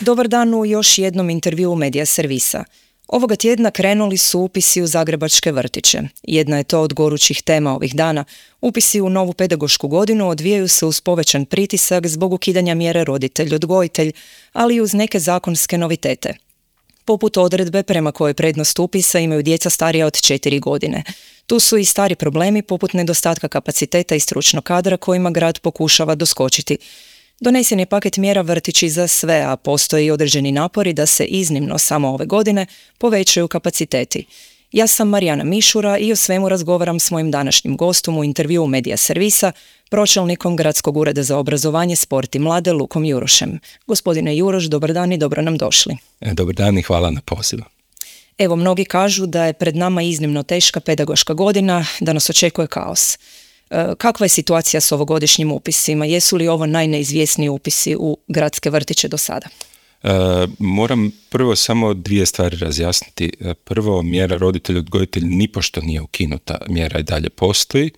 Dobar dan u još jednom intervjuu Medija Servisa. Ovoga tjedna krenuli su upisi u zagrebačke vrtiće. Jedna je to od gorućih tema ovih dana. Upisi u novu pedagošku godinu odvijaju se uz povećan pritisak zbog ukidanja mjere roditelj-odgojitelj, ali i uz neke zakonske novitete. Poput odredbe prema kojoj prednost upisa imaju djeca starija od 4 godine. Tu su i stari problemi poput nedostatka kapaciteta i stručnog kadra kojima grad pokušava doskočiti. Donesen je paket mjera vrtići za sve, a postoji određeni napori da se iznimno samo ove godine povećaju kapaciteti. Ja sam Marijana Mišura i o svemu razgovaram s mojim današnjim gostom u intervjuu Medija Servisa, pročelnikom Gradskog ureda za obrazovanje, sport i mlade Lukom Jurošem. Gospodine Juroš, dobar dan i dobro nam došli. Dobar dan i hvala na pozivu. Evo, mnogi kažu da je pred nama iznimno teška pedagoška godina, da nas očekuje kaos. Kakva je situacija s ovogodišnjim upisima? Jesu li ovo najneizvjesniji upisi u gradske vrtiće do sada? Moram prvo samo dvije stvari razjasniti. Prvo, mjera roditelj-odgojitelj nipošto nije ukinuta, mjera i dalje postoji.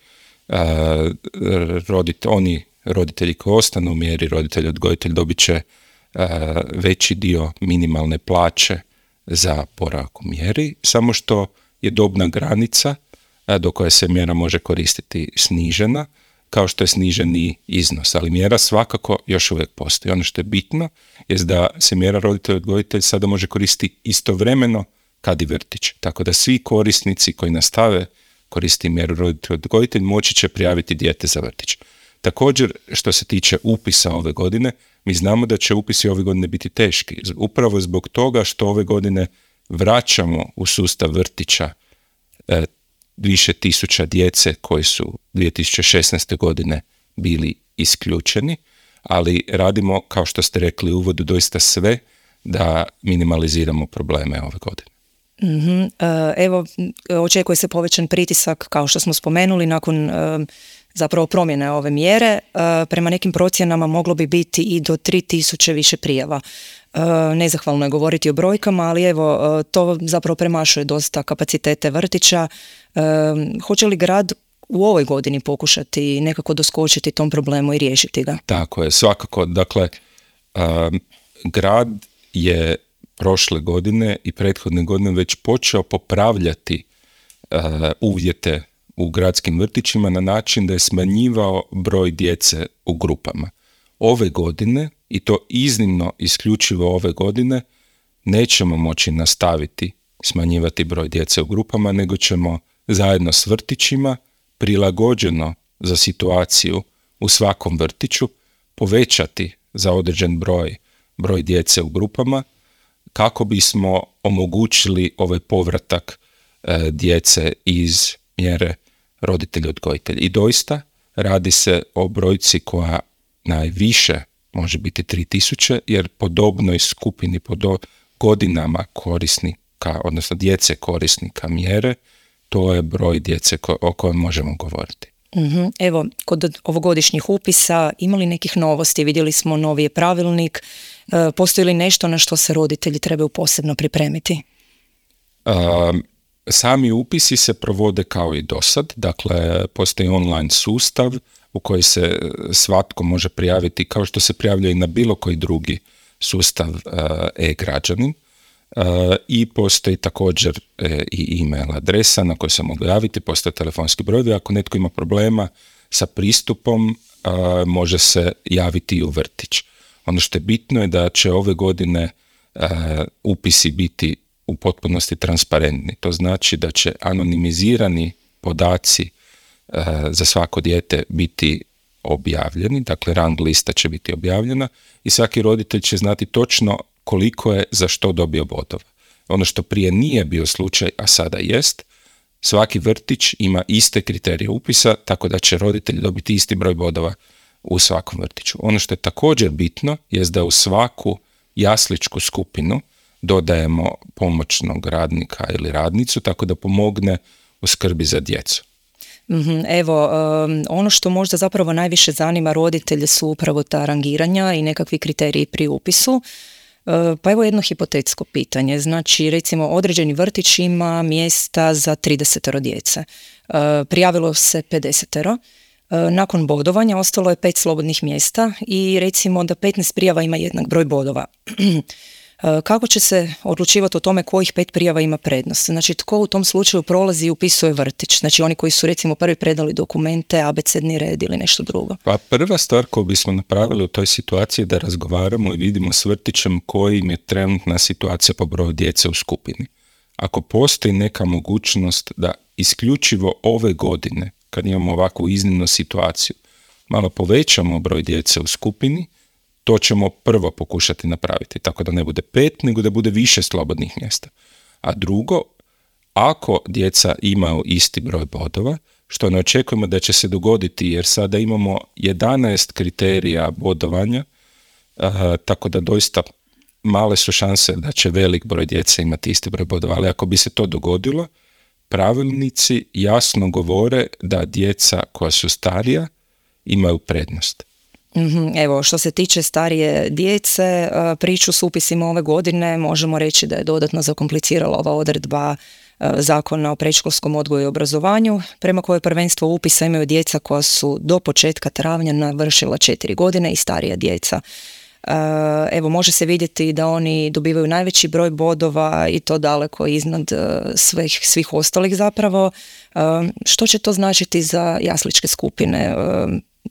Oni roditelji koji ostanu u mjeri roditelj-odgojitelj dobit će veći dio minimalne plaće za boravak u mjeri, samo što je dobna granica do koje se mjera može koristiti snižena, kao što je sniženi iznos, ali mjera svakako još uvijek postoji. Ono što je bitno je da se mjera roditelj-odgojitelj sada može koristiti istovremeno kad i vrtić. Tako da svi korisnici koji nastave koristiti mjeru roditelj-odgojitelj moći će prijaviti dijete za vrtić. Također, što se tiče upisa ove godine, mi znamo da će upisi ove godine biti teški. Upravo zbog toga što ove godine vraćamo u sustav vrtića više tisuća djece koji su 2016. godine bili isključeni, ali radimo, kao što ste rekli u uvodu, doista sve da minimaliziramo probleme ove godine. Evo, očekuje se povećan pritisak, kao što smo spomenuli, nakon zapravo promjene ove mjere. Prema nekim procjenama moglo bi biti i do 3000 više prijava. Nezahvalno je govoriti o brojkama, ali evo, to zapravo premašuje dosta kapacitete vrtića. Hoće li grad u ovoj godini pokušati nekako doskočiti tom problemu i riješiti ga? Tako je, svakako. Dakle, grad je prošle godine i prethodne godine već počeo popravljati uvjete u gradskim vrtićima na način da je smanjivao broj djece u grupama. Ove godine, i to iznimno isključivo ove godine, nećemo moći nastaviti smanjivati broj djece u grupama, nego ćemo zajedno s vrtićima, prilagođeno za situaciju u svakom vrtiću, povećati za određen broj djece u grupama, kako bismo omogućili ovaj povratak djece iz mjere roditelj-odgojitelj. I doista radi se o brojci koja najviše može biti 3000, jer po dobnoj skupini, po godinama korisnika, odnosno djece korisnika mjere, to je broj djece o kojem možemo govoriti. Evo, kod ovogodišnjih upisa imali nekih novosti? Vidjeli smo novi pravilnik. Postoji li nešto na što se roditelji trebaju posebno pripremiti? Sami upisi se provode kao i dosad, dakle postoji online sustav u koji se svatko može prijaviti kao što se prijavlja i na bilo koji drugi sustav e-građanin, i postoji također i e-mail adresa na koju se mogu javiti, postoje telefonski brojevi. Ako netko ima problema sa pristupom, može se javiti i u vrtić. Ono što je bitno je da će ove godine upisi biti u potpunosti transparentni. To znači da će anonimizirani podaci za svako dijete biti objavljeni, dakle rang lista će biti objavljena i svaki roditelj će znati točno koliko je za što dobio bodova. Ono što prije nije bio slučaj, a sada jest, svaki vrtić ima iste kriterije upisa, tako da će roditelj dobiti isti broj bodova u svakom vrtiću. Ono što je također bitno jest da u svaku jasličku skupinu dodajemo pomoćnog radnika ili radnicu, tako da pomogne u skrbi za djecu. Evo, ono što možda zapravo najviše zanima roditelje su upravo ta rangiranja i nekakvi kriteriji pri upisu. Pa evo jedno hipotetsko pitanje. Znači, recimo, određeni vrtić ima mjesta za 30 djece. Prijavilo se 50. Nakon bodovanja ostalo je 5 slobodnih mjesta i recimo da 15 prijava ima jednak broj bodova. Kako će se odlučivati o tome kojih 5 prijava ima prednost? Znači, tko u tom slučaju prolazi i upisuje vrtić? Znači, oni koji su recimo prvi predali dokumente, abecedni red ili nešto drugo? Pa prva stvar koju bismo napravili u toj situaciji je da razgovaramo i vidimo s vrtićem koji im je trenutna situacija po broju djece u skupini. Ako postoji neka mogućnost da isključivo ove godine, kad imamo ovakvu iznimnu situaciju, malo povećamo broj djece u skupini, to ćemo prvo pokušati napraviti, tako da ne bude 5, nego da bude više slobodnih mjesta. A drugo, ako djeca imaju isti broj bodova, što ne očekujemo da će se dogoditi, jer sada imamo 11 kriterija bodovanja, tako da doista male su šanse da će velik broj djece imati isti broj bodova, ali ako bi se to dogodilo, pravilnici jasno govore da djeca koja su starija imaju prednost. Evo, što se tiče starije djece, priču s upisima ove godine možemo reći da je dodatno zakomplicirala ova odredba Zakona o predškolskom odgoju i obrazovanju, prema kojoj prvenstvo upisa imaju djeca koja su do početka travnja navršila 4 godine i starija djeca. Evo, može se vidjeti da oni dobivaju najveći broj bodova i to daleko iznad svih ostalih zapravo. Što će to značiti za jasličke skupine?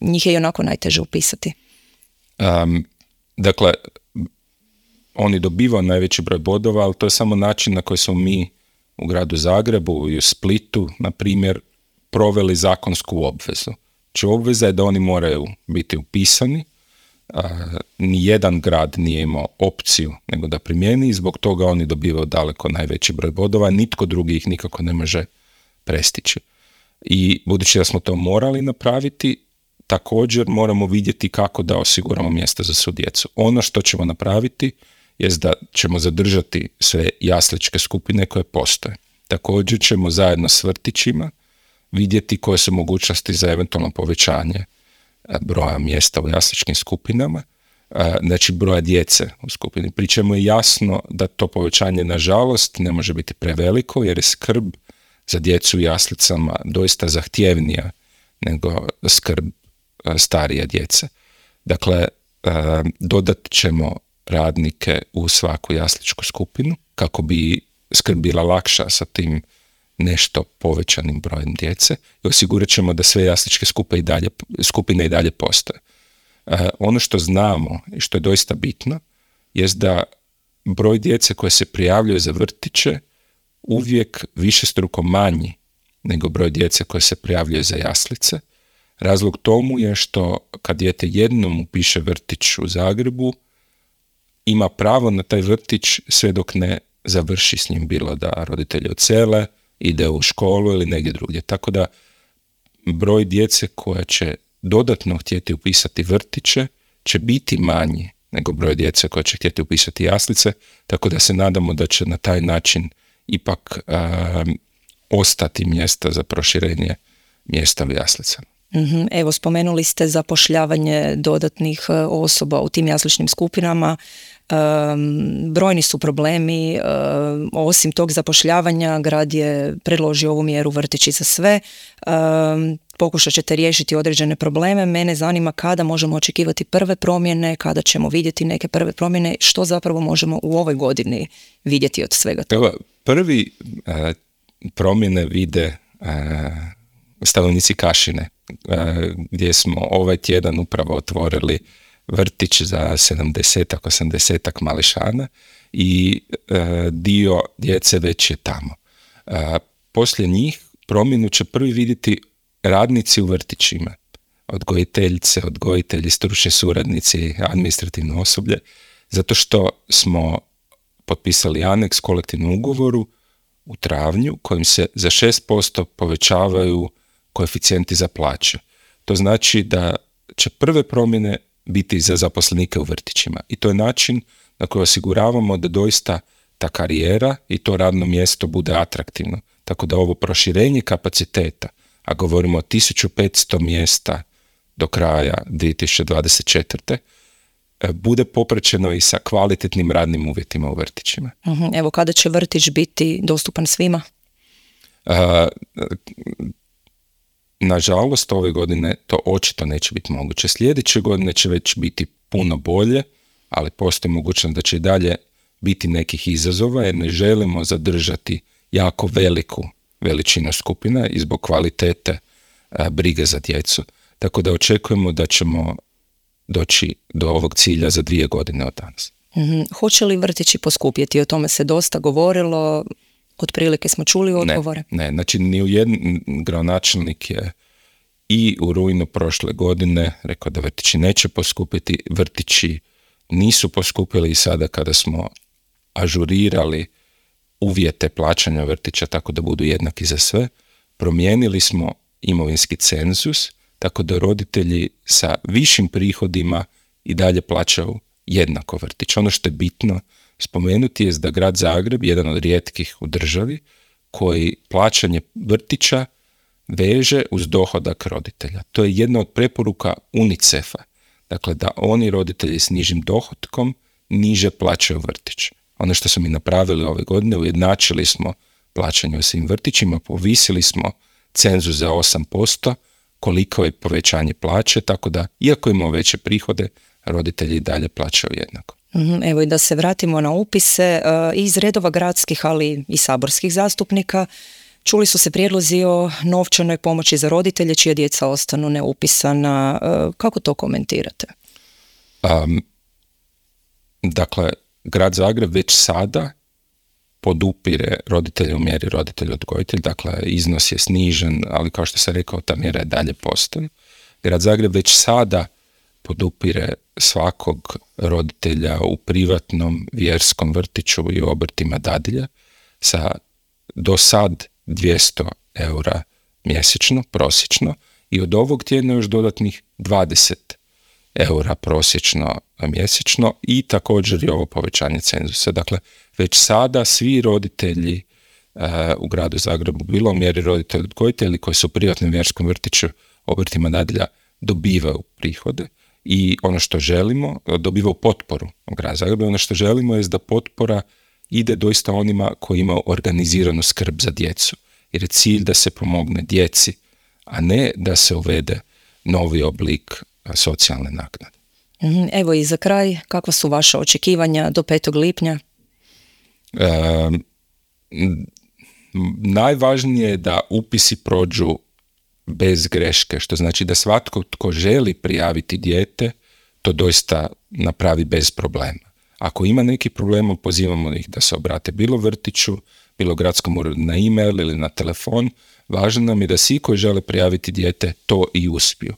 Njih je i onako najteže upisati. Dakle, oni dobivaju najveći broj bodova, ali to je samo način na koji smo mi u gradu Zagrebu i u Splitu, na primjer, proveli zakonsku obvezu. Znači, obveza je da oni moraju biti upisani. Nijedan grad nije imao opciju nego da primijeni i zbog toga oni dobivaju daleko najveći broj bodova, nitko drugi ih nikako ne može prestići. I budući da smo to morali napraviti, također moramo vidjeti kako da osiguramo mjesta za svu djecu. Ono što ćemo napraviti jest da ćemo zadržati sve jasličke skupine koje postoje. Također ćemo zajedno s vrtićima vidjeti koje su mogućnosti za eventualno povećanje broja mjesta u jasličkim skupinama, znači broja djece u skupini. Pri čemu je jasno da to povećanje nažalost ne može biti preveliko jer je skrb za djecu u jaslicama doista zahtjevnija nego skrb starije djece. Dakle, dodat ćemo radnike u svaku jasličku skupinu kako bi skrb bila lakša sa tim nešto povećanim brojem djece i osigurat ćemo da sve jasličke skupine i dalje postoje. Ono što znamo i što je doista bitno jest da broj djece koje se prijavljuje za vrtiće uvijek višestruko manji nego broj djece koje se prijavljuje za jaslice. Razlog tomu je što kad dijete jednom upiše vrtić u Zagrebu, ima pravo na taj vrtić sve dok ne završi s njim, bilo da roditelji odsele, ide u školu ili negdje drugdje. Tako da broj djece koja će dodatno htjeti upisati vrtiće će biti manji nego broj djece koja će htjeti upisati jaslice, tako da se nadamo da će na taj način ipak ostati mjesta za proširenje mjesta u jaslicama. Evo, spomenuli ste zapošljavanje dodatnih osoba u tim jasličnim skupinama. Brojni su problemi. Osim tog zapošljavanja, grad je predložio ovu mjeru vrtići za sve. Pokušat ćete riješiti određene probleme. Mene zanima kada možemo očekivati prve promjene, kada ćemo vidjeti neke prve promjene, što zapravo možemo u ovoj godini vidjeti od svega toga. Prvi promjene vide stanovnici Kašine, gdje smo ovaj tjedan upravo otvorili vrtić za 70-80 mališana i dio djece već je tamo. Poslije njih promjenu će prvi vidjeti radnici u vrtićima, odgojiteljice, odgojitelji, stručni suradnici, administrativno osoblje, zato što smo potpisali aneks kolektivnom ugovoru u travnju kojim se za 6% povećavaju koeficijenti za plaće. To znači da će prve promjene biti za zaposlenike u vrtićima i to je način na koji osiguravamo da doista ta karijera i to radno mjesto bude atraktivno. Tako da ovo proširenje kapaciteta, a govorimo o 1500 mjesta do kraja 2024. bude popraćeno i sa kvalitetnim radnim uvjetima u vrtićima. Evo, kada će vrtić biti dostupan svima? nažalost, ove godine to očito neće biti moguće. Sljedeće godine će već biti puno bolje, ali postoji mogućnost da će i dalje biti nekih izazova jer ne želimo zadržati jako veliku veličinu skupina i zbog kvalitete brige za djecu. Tako da očekujemo da ćemo doći do ovog cilja za 2 godine od danas. Hoće li vrtići poskupjeti? O tome se dosta govorilo, otprilike smo čuli odgovore. Ne, znači ni u jedan gradonačelnik je i u rujnu prošle godine rekao da vrtići neće poskupiti, vrtići nisu poskupili i sada kada smo ažurirali uvjete plaćanja vrtića tako da budu jednaki za sve, promijenili smo imovinski cenzus tako da roditelji sa višim prihodima i dalje plaćaju jednako vrtić. Ono što je bitno spomenuti je da grad Zagreb, jedan od rijetkih u državi, koji plaćanje vrtića veže uz dohodak roditelja. To je jedna od preporuka UNICEF-a. Dakle, da oni roditelji s nižim dohotkom niže plaćaju vrtić. Ono što smo mi napravili ove godine, ujednačili smo plaćanje u svim vrtićima, povisili smo cenzus za 8%, koliko je povećanje plaće, tako da, iako imamo veće prihode, roditelji dalje plaćaju jednako. Evo i da se vratimo na upise, iz redova gradskih, ali i saborskih zastupnika, čuli su se prijedlozi o novčanoj pomoći za roditelje čija djeca ostanu neupisana. Kako to komentirate? Dakle, grad Zagreb već sada podupire roditelje u mjeri roditelj-odgojitelj, dakle iznos je snižen, ali kao što sam rekao, ta mjera je dalje postoji. Grad Zagreb već sada podupire svakog roditelja u privatnom vjerskom vrtiću i obrtima dadilja sa do sad 200 eura mjesečno, prosječno, i od ovog tjedna još dodatnih 20 eura prosječno mjesečno i također i ovo povećanje cenzusa. Dakle, već sada svi roditelji u gradu Zagrebu, bilo u mjeri roditelji koji su u privatnom vjerskom vrtiću, obrtima dadilja, dobivaju prihode i ono što želimo, dobivaju potporu u gradu Zagrebu. Ono što želimo je da potpora ide doista onima koji imaju organiziranu skrb za djecu, jer je cilj da se pomogne djeci, a ne da se uvede novi oblik socijalne naknade. Evo i za kraj, kakva su vaša očekivanja do 5. lipnja? Najvažnije je da upisi prođu bez greške, što znači da svatko tko želi prijaviti dijete to doista napravi bez problema. Ako ima neki problem, pozivamo ih da se obrate bilo vrtiću, bilo gradskom uredu na e-mail ili na telefon. Važno nam je da svi koji žele prijaviti dijete to i uspiju.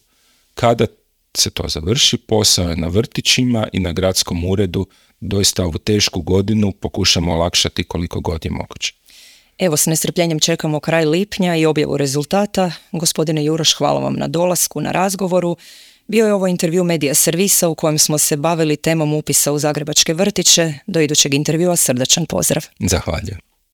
Kada se to završi, posao je na vrtićima i na gradskom uredu, doista ovu tešku godinu pokušamo olakšati koliko god je moguće. Evo, s nestrpljenjem čekamo kraj lipnja i objavu rezultata. Gospodine Juroš, hvala vam na dolasku, na razgovoru. Bio je ovo intervju Medija Servisa u kojem smo se bavili temom upisa u zagrebačke vrtiće. Do idućeg intervjua srdačan pozdrav. Zahvaljujem.